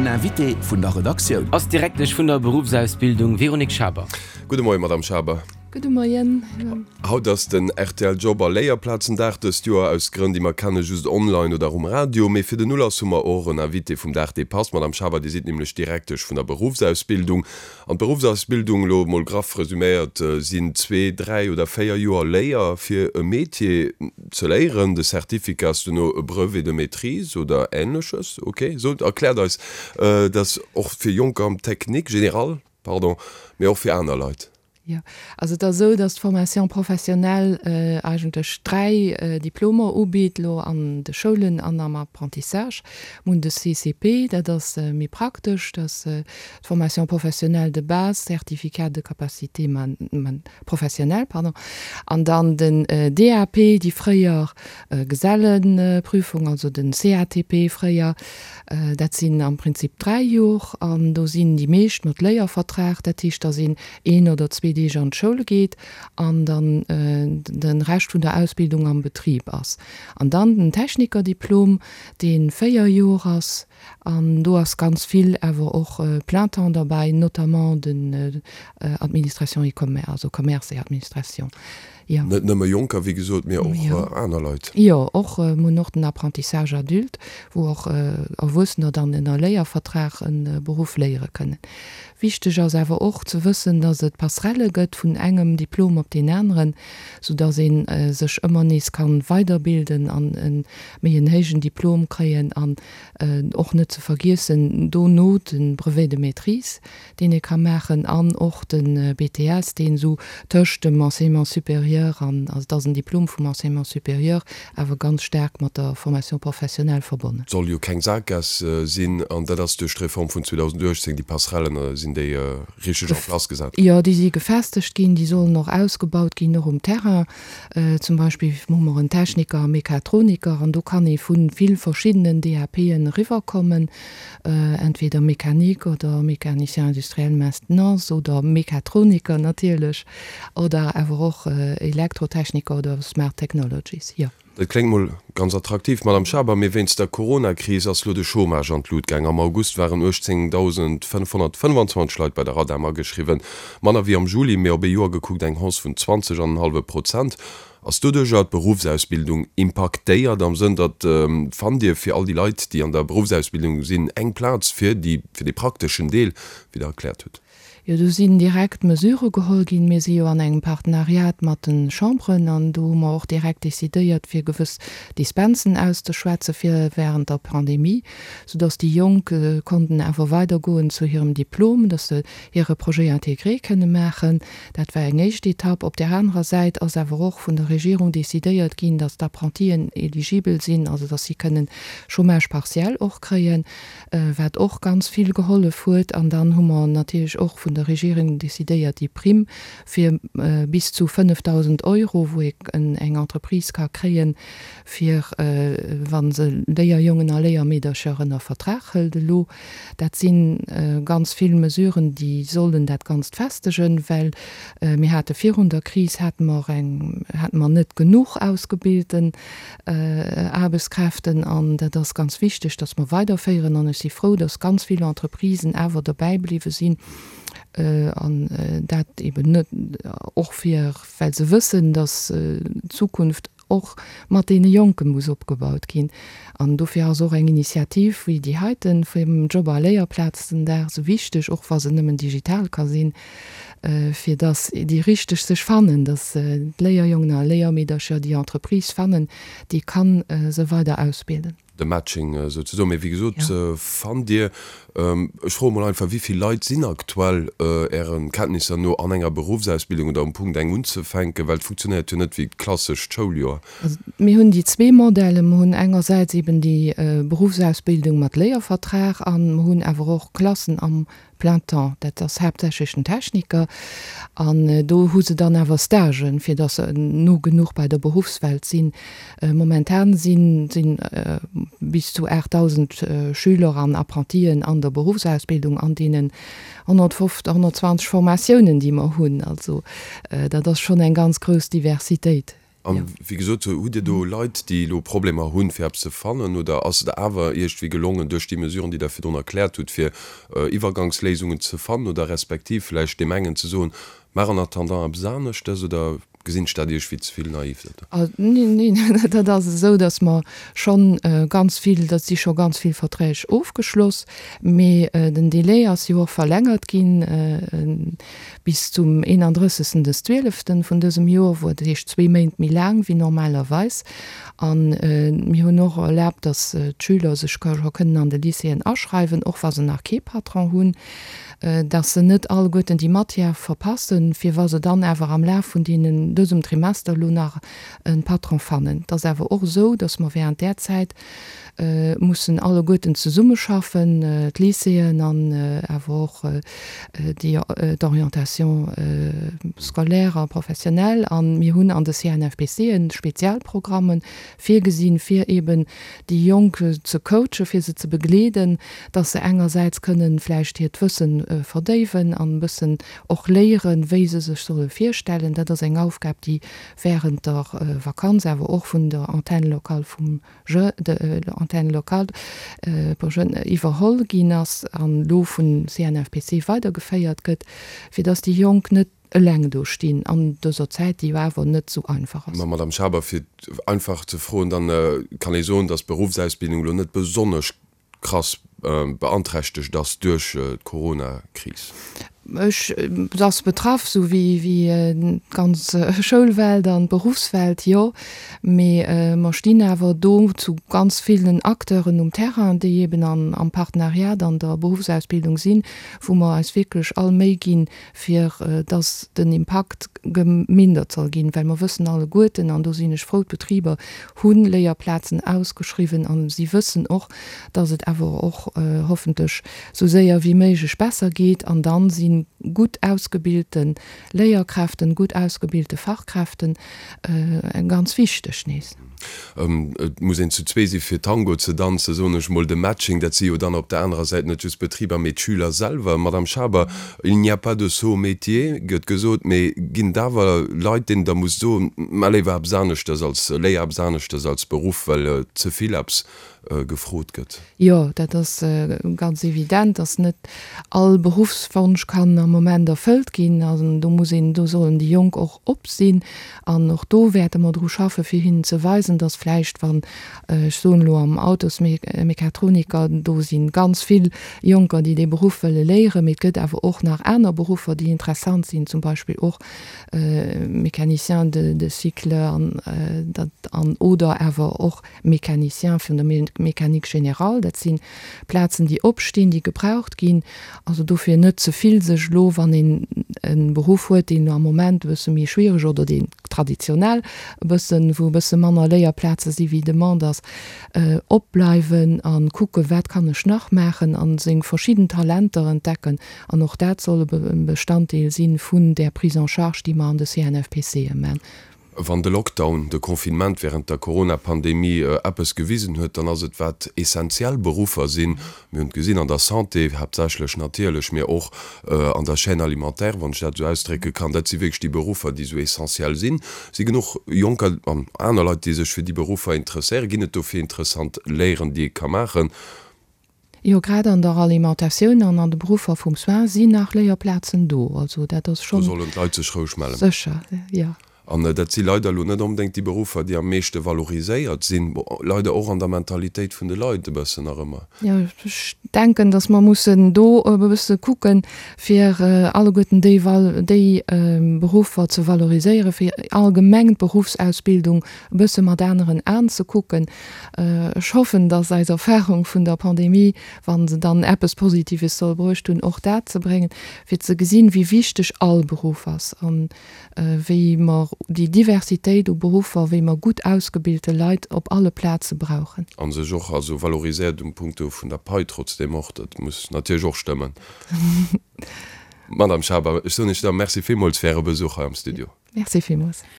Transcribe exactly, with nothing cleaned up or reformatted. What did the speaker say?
Den Invité vun der Redaktioun. Ass d'Direktesch vun der Beruffsausbildung Véronique Schaber. Gudde Moien, Madame Schaber. Gudde Moien. Haut ass den R T L Job a Léierplazendag, dëst Joer aus Grënn, déi mer kennen, just online oder um Radio. Mee fir den Ulass hu mer och en Invité vum Dag, dee passt. Madame Schaber, Dir sidd nämlech Direktesch vun der Beruffsausbildung. An d'Beruffsausbildung, elo emol graff resuméiert, sinn zwee, dräi oder véier Joer Léier fir e Métier ze léieren. De Certificat ass duerno e Brevet de maîtrise oder Änleches. Ok, sot, erkläert eis dat och fir Jonker am Technique générale, pardon, mee och fir aner Leit. Jo, also et ass esou, datt d'Formation professionnelle eigentlech dräi Diplomer ubitt, elo an de Schoulen an am Apprentissage. Mir hunn de C C P, dat ass méi praktesch, dat ass d'Formation professionnelle de base, Certificat de capacité professionnelle, pardon, an dann den D A P, déi fréier Gesellenprüfung, also den C A T P fréier. Dat sinn am Prinzip dräi Jor an do sinn déi meescht mat Léiervertrag, dat heescht, da sinn een oder zwee Deeg an d'Schoul geet an dann den Rescht vun der Ausbildung am Betrib ass. An dann den Technikerdiplom, deen véier Jor ass, an do ass ganz vill awer och plein temps derbäi, notamment den Administration et Commerce, also Commerce et Administration. Jo. Net nëmme Jonker, wéi gesot, mee och aner Leit. Jo, och, mir hunn och den Apprentissage adulte, wou och Erwuessener dann ënner Léiervertrag e Beruff léiere kënnen. Wichteg ass awer och ze wëssen, dass et Passerelle gëtt vun engem Diplom op deen aneren, soudass ee sech ëmmer nees kann weiderbilden an e méi en héijen Diplom kréien an och net ze vergiessen dono de Brevet de maîtrise, deen ee ka maachen, an och de B T S, deen esou tëscht dem Enseignement supérieur an, also et ass en Diplom vum Enseignement supérieur, awer ganz staark mat der Formation professionnelle verbonnen. Et soll jo keng Saakgaass sinn, an dat ass duerch d'Reform vun zweedausenduechtzéng, déi Passerellen sinn déi richteg en place gesat ginn? Jo, déi si gefestegt ginn, déi sollen och ausgebaut ginn, och um Terrain. Zum Beispill hu mer en Techniker a Mechatroniker, an do kann ee vu vill verschiddenen D A P'en eriwwerkommen, entweder Mécanique oder Mécanicien industriel maintenance oder Mechatroniker natierlech, oder awer och Elektrotechniker oder Smart Technologies, jo. Dat kléngt mol ganz attraktiv, Madame Schaber, mee wéinst der Corona-Kris ass lo de Chômage an d'Lut gaang. Am August waren uechtzéngdausendfënnfhonnertfënnfanzwanzeg Leit bei der Radam ageschriwwen, manner wéi am Juli, mee op ee Joer gekuckt eng Hausse vun zwanzeg an en hallwe Prozent. Ass doduercher d'Beruffsausbildung impaktéiert, am Sënn, datt, fannt Dir fir all déi Leit, déi an der Beruffsausbildung sinn, eng Plaz fir déi, fir dee prakteschen Deel, wéi Der erkläert hutt? Jo, do sinn direkt Mesurë geholl ginn. Mir si jo an engem Partenariat mat de Chamberen an do hu mer och direkt decidéiert, fir gewëss Dispensen auszeschwätze fir während der Pandemie, soudass déi Jonk konnten awer weidergoen zu hirem Diplom, dass se hire Projet intégré kënne maachen. Dat war eng éischt Etapp. Op där anerer Säit ass awer och vun der Regierung decidéiert ginn, dass d'Apprentien éligibel sinn, also dass si kënnen Chômage partiel och kréien, wat och ganz vill gehollef huet. An dann hu mer natierlech och vun der Regierung decidéiert, déi Primm fir bis zu fënnefdausend Euro, wou ee eng Entreprise ka kréien, fir wa se Léierjongen a Léiermeedercher ënner Vertrag hëlt elo. Dat si ganz vill Mesuren, déi sollen dat Ganzt festegen, well mir hate virun der Kris hate mer eng, hate mer net genuch ausgebilten Aarbechtskräften, an dat ass ganz wichteg, dass mer weiderféieren. An ech si frou, dass ganz vill Entreprisen awer dobäi bliwwe sinn, an dat eben net och fir, well se wëssen, dass d'Zukunft och mat deene Jonke muss opgebaut ginn. An dofir ass och eng Initiativ wéi déi heiten vum Job- a Léierplazendag sou wichteg, och wa se nëmmen digital ka sinn, fir dass déi Richteg sech fannen, dass d'Léierjongen a Léiermeedercher déi Entreprise fannen, déi kann se weider ausbilden. De Matching souzesoen. Mee wéi gesot, fannt Dir, ech froe mol einfach, wéi vill Leit sinn aktuell Ären Kenntnisser no an enger Beruffsausbildung oder um Punkt eng unzefänken, well et funktionéiert jo net wéi d'klassescht Schouljoer. Also mir hunn déi zwee Modelle. Mir hunn engersäits eben déi Beruffsausbildung mat Léiervertrag an mir hunn awer och Klassen am plein temps. Dat ass haaptsächlech den Techniker. An do hu se dann awer Stagen, fir dass se no genuch bei der Beruffswelt sinn. Momentan sinn, sinn bis zu achttausend Schüler an Apprentien an der Beruffsausbildung an deenen honnertfünfzig, honnertzwanzig Formatiounen, déi mer hunn. Also dat ass schonn eng ganz grouss Diversitéit. An wéi gesot, hutt Dir do Leit, déi elo Problemer hunn, fir eppes ze fannen, oder ass et awer iergendwéi gelongen, duerch déi Mesuren, déi Der virdrun erkläert hutt, fir Iwwergangsléisungen ze fannen oder respektiv vläicht deem engen ze soen, Maach en attendant eppes aneschtes, oder gesinn ech dat iergendwéi ze vill naiv? Neen, neen, dat ass esou, datt mer schonn ganz vill, dat si scho ganz vill Verträg ofgeschloss, mee den Delai ass jo och verlängert ginn bis zum eenandrëssegsten des Zwieleften vun dësem Joer, wou, dat heescht zwee Méint méi laang wéi normalerweis. A mir hunn och erlaabt, datt d'Schüler sech scho kënnen an de Lycéeën aschreiwen, och wa se nach kee Patron hunn, datt se net alleguerten déi Matière verpassen, fir wa se dann awer am Laf vun deenen, dësem Trimester elo nach e Patron fannen. Et ass awer och esou, datt mer während där Zäit mussen alleguerten zesummeschaffen, d'Lycéeën an awer och déi d'Orientation scolaire a professionnelle. A mir hunn an de CNFPCen Spezialprogramme virgesinn, fir eeben déi Jonk ze coachen, fir se ze begleeden, dass se engersäits kënnen vläicht hiert Wëssen verdéiwen an e bëssen och léieren, wéi se sech solle virstellen. Dat ass eng Aufgab, déi während der Vakanz awer och vun der Antenne locale vum Je, de l'Antenne locale pour jeunes iwwerholl ginn ass an elo vum CNFPC weidergeféiert gëtt, fir dass déi Jonk net eleng do stinn an dëser Zäit, déi jo awer net esou einfach ass. Ma Madame Schaber, fir einfach ze froen, dann kann ee soen, dass d'Beruffsausbildung elo net besonnesch krass beanträchtegt ass duerch d'Coronakris. Ech, se ass betraff, esou wéi d'ganz Schoulwelt an d'Beruffswelt, jo. Mee mer stinn awer do zu ganz villen Acteuren um Terrain, déi eeben am Partenariat an der Beruffsausbildung sinn, wou mer eis wierklech all Méi ginn, fir dass den Impakt gemindert soll ginn. Well mer wëssen alleguerten, an do sinn ech frou, d'Betriber hu Léierplazen ausgeschriwwen a si wëssen och, dass et awer och hoffentlech esou séier wéi méiglech besser geet. An dann si gutt ausgebilte Léierkräften, gutt ausgebilte Fachkräften ganz wichteg nees. Et muss een zu zwee si fir Tango ze danzen, soen ech mol. De Matching, dat si jo dann op der anerer Säit net just d'Betriber, mee d'Schüler selwer. Madame Schaber, il n'y a pas de sot métier, gëtt gesot, mee ginn et awer Leit, deenen Der musst soen, Mä léiwer eppes aneschtes als, léier eppes aneschtes als Beruff, well ze vill eppes gefrot gëtt? Jo, dat ass ganz evident, dass net all Beruffswonsch kann am Moment erfëllt ginn. An do muss een, do sollen déi Jonk och op sinn. An och do wäerte mer dru schaffen, fir hinnen ze weisen, dass vläicht, wann, ech soen elo am Autosmechatroniker, do si ganz vill Jonker, déi dee Beruff wëlle léieren, mee et gëtt awer och nach aner Beruffer, déi interessant sinn, zum Beispill och Mécanicien de de cycle an dat an oder awer och Mécanicien vun der Mécanique générale. Dat si Plazen, déi opstinn, déi gebraucht ginn. Also dofir net ze vill sech elo, wann een e Beruff huet, deen am Moment e bësse méi schwiereg oder deen traditionell e bëssen, wou e bësse manner Léierplaze si wéi Demande ass, opbleiwen a kucken, wat kann ech nach maachen a seng verschidden Talenter entdecken. An och dat soll e Bestanddeel si vun där Prise en charge, déi mer an de CNFPCe man. Wann de Lockdown, de Confinement wärend der Corona-Pandemie eppes gewisen huet, dann ass et wat essentiell Beruffer sinn. Mir hunn et gesinn an der Santé haaptsächlech natierlech, mee och an der Chaîne alimentaire, wann ech dat esou ausdrécke kann. Dat si wierklech déi Beruffer, déi esou essentiell sinn. Si genuch Jonker an aner Leit, déi sech fir déi Beruffer interesséieren? Ginn et dofir interessant Léieren, déi ee ka maachen? Jo, grad an der Alimentatioun an an de Beruffer vum Soin sinn nach Léierplazen do. Also dat ass schonn. Do sollen d'Leit sech roueg mellen. Sécher, jo. An dat si leider elo net onbedéngt déi Beruffer, déi am meeschte valoriséiert sinn, leider och an der Mentalitéit vun de Leit e bëssen nach ëmmer. Jo, ech denken, datt mer mussen do e bësse kucken, fir alleguerten déi déi Beruffer ze valoriséieren, fir allgemeng d'Beruffsausbildung e bësse mat aneren Aen ze kucken. Ech hoffen, datt eis Erfahrung vun der Pandemie, wa se dann eppes Positives soll bruecht hunn, och dat ze bréngen, fir ze gesinn, wéi wichteg all Beruff ass an wéi mer déi Diversitéit u Beruffer, wéi mer gutt ausgebilte Leit op alle Plaze brauchen. A sech och also valoriséiert um Punkto vun der Pai trotzdeem och, dat muss natierlech och stëmmen. Madame Schaber, ech soen Iech da Merci villmools fir Äre Besuch hei am Studio. Merci villmools.